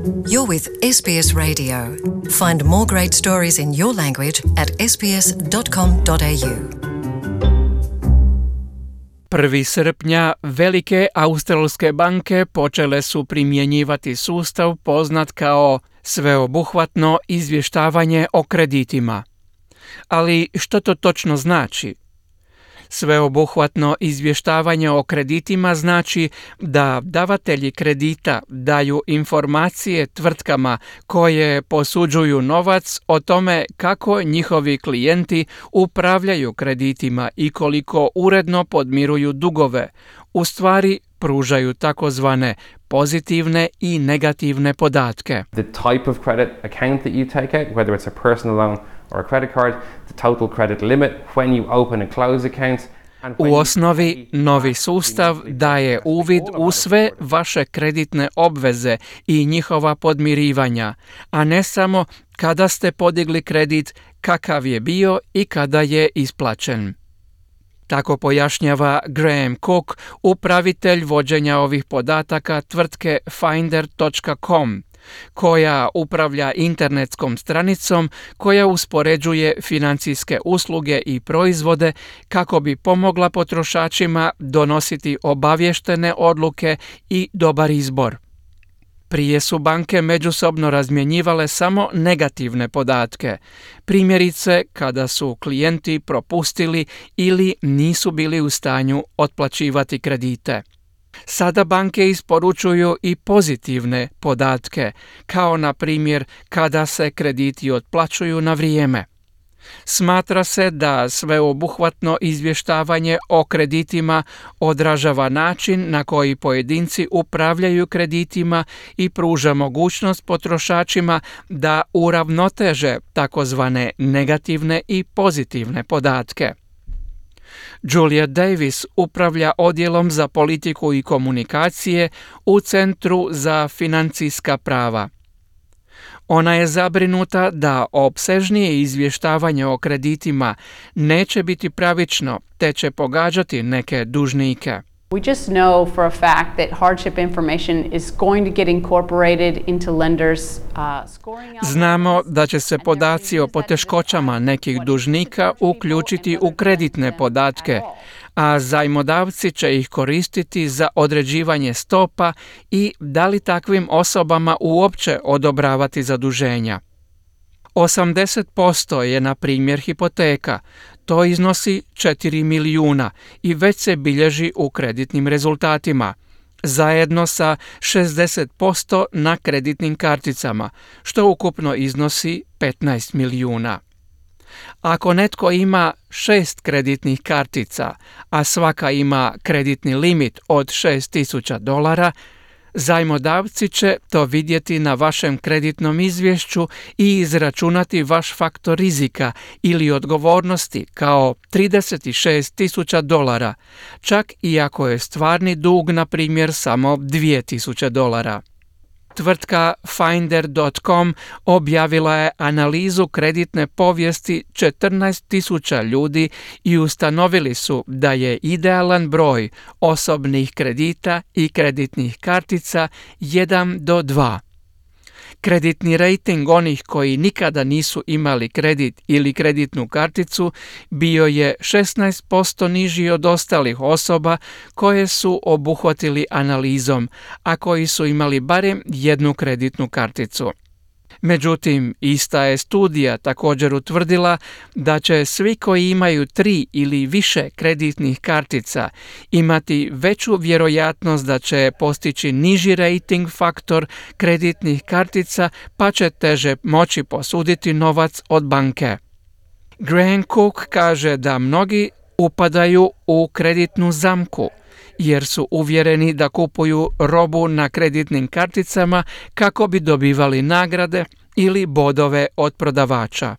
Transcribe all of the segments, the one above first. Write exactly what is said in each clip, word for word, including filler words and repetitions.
You're with S B S Radio. Find more great stories in your language at s b s dot com dot a u. prvog srpnja velike australske banke počele su primjenjivati sustav poznat kao sveobuhvatno izvještavanje o kreditima. Ali što to točno znači? Sveobuhvatno izvještavanje o kreditima znači da davatelji kredita daju informacije tvrtkama koje posuđuju novac o tome kako njihovi klijenti upravljaju kreditima i koliko uredno podmiruju dugove. U stvari pružaju takozvane pozitivne i negativne podatke. The type of credit account that you take out, whether it's a personal loan or a credit card, the total credit limit when you open and close accounts. U osnovi, novi sustav daje uvid u sve vaše kreditne obveze i njihova podmirivanja, a ne samo kada ste podigli kredit, kakav je bio i kada je isplaćen. Tako pojašnjava Graham Cook, upravitelj vođenja ovih podataka tvrtke finder dot com, koja upravlja internetskom stranicom koja uspoređuje financijske usluge i proizvode kako bi pomogla potrošačima donositi obavještene odluke i dobar izbor. Prije su banke međusobno razmjenjivale samo negativne podatke, primjerice kada su klijenti propustili ili nisu bili u stanju otplaćivati kredite. Sada banke isporučuju i pozitivne podatke, kao na primjer kada se krediti otplaćuju na vrijeme. Smatra se da sveobuhvatno izvještavanje o kreditima odražava način na koji pojedinci upravljaju kreditima i pruža mogućnost potrošačima da uravnoteže takozvane negativne i pozitivne podatke. Julia Davis upravlja odjelom za politiku i komunikacije u Centru za financijska prava. Ona je zabrinuta da opsežnije izvještavanje o kreditima neće biti pravično te će pogađati neke dužnike. We just know for a fact that hardship information is going to get incorporated into lenders' uh, scoring. Znamo da će se podaci o poteškoćama nekih dužnika uključiti u kreditne podatke, a zajmodavci će ih koristiti za određivanje stopa i da li takvim osobama uopće odobravati zaduženja. osamdeset posto je, na primjer, hipoteka. To iznosi četiri milijuna i već se bilježi u kreditnim rezultatima, zajedno sa šezdeset posto na kreditnim karticama, što ukupno iznosi petnaest milijuna. Ako netko ima šest kreditnih kartica, a svaka ima kreditni limit od šest tisuća dolara, zajmodavci će to vidjeti na vašem kreditnom izvješću i izračunati vaš faktor rizika ili odgovornosti kao trideset šest tisuća dolara, čak i ako je stvarni dug, na primjer, samo dvije tisuće dolara. Tvrtka finder dot com objavila je analizu kreditne povijesti četrnaest tisuća ljudi i ustanovili su da je idealan broj osobnih kredita i kreditnih kartica jedan do dva. Kreditni rejting onih koji nikada nisu imali kredit ili kreditnu karticu bio je šesnaest posto niži od ostalih osoba koje su obuhvatili analizom, a koji su imali barem jednu kreditnu karticu. Međutim, ista je studija također utvrdila da će svi koji imaju tri ili više kreditnih kartica imati veću vjerojatnost da će postići niži rating faktor kreditnih kartica, pa će teže moći posuditi novac od banke. Graham Cook kaže da mnogi upadaju u kreditnu zamku, jer su uvjereni da kupuju robu na kreditnim karticama kako bi dobivali nagrade ili bodove od prodavača.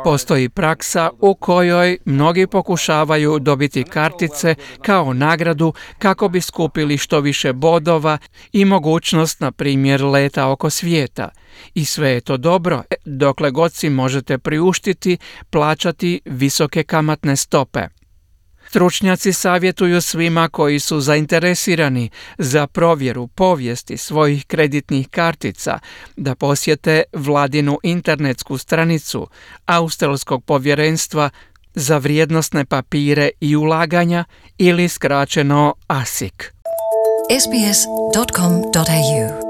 Postoji praksa u kojoj mnogi pokušavaju dobiti kartice kao nagradu kako bi skupili što više bodova i mogućnost, na primjer, leta oko svijeta. I sve je to dobro, dokle god si možete priuštiti plaćati visoke kamatne stope. Stručnjaci savjetuju svima koji su zainteresirani za provjeru povijesti svojih kreditnih kartica da posjete vladinu internetsku stranicu Australskog povjerenstva za vrijednosne papire i ulaganja ili skraćeno A S I C. S B S dot com dot A U